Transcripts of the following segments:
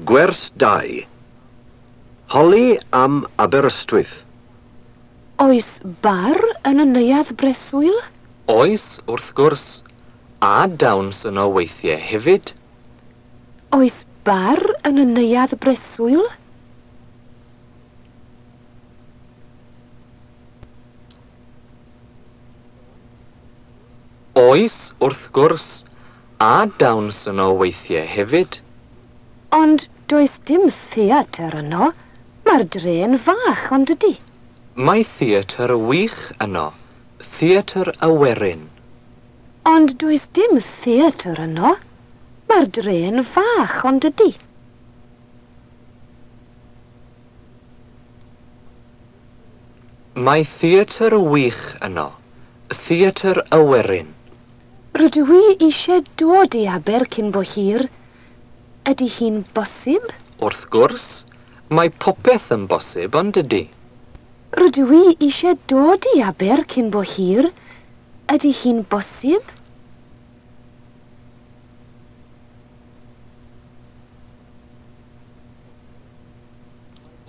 Gwers 2. Holi am Aberystwyth. Oes bar yn y neuadd breswyl? Oes, wrth gwrs, a dawns yno weithiau hefyd. Oes bar yn y neuadd breswyl? Oes, wrth gwrs, a dawns yno weithiau hefyd. Ond does dim theatr yno. Mae'r dre'n fach, ond ydy? Mae theatr wych yno, Theatr y Werin. Ond does dim theatr yno. Mae'r dre'n fach, ond ydy? Mae theatr wych yno, Theatr y Werin. Rydw i eisiau dod i Aber cyn bo hir. Ydy hi'n bosib? Wrth gwrs, mae popeth yn bosib, ond ydy? Rydw i eisiau dod i Aber cyn bo hir. Ydy hi'n bosib?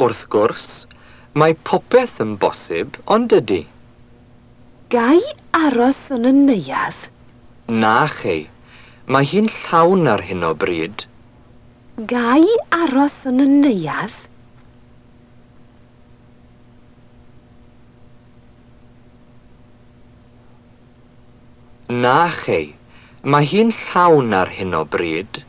Wrth gwrs, mae popeth yn bosib, ond ydy? Ga i aros yn y neuadd? Na chei, mae hi'n llawn ar hyn o bryd. Ga i aros yn y neuadd? Na chei, mae hi'n llawn ar hyn o bryd.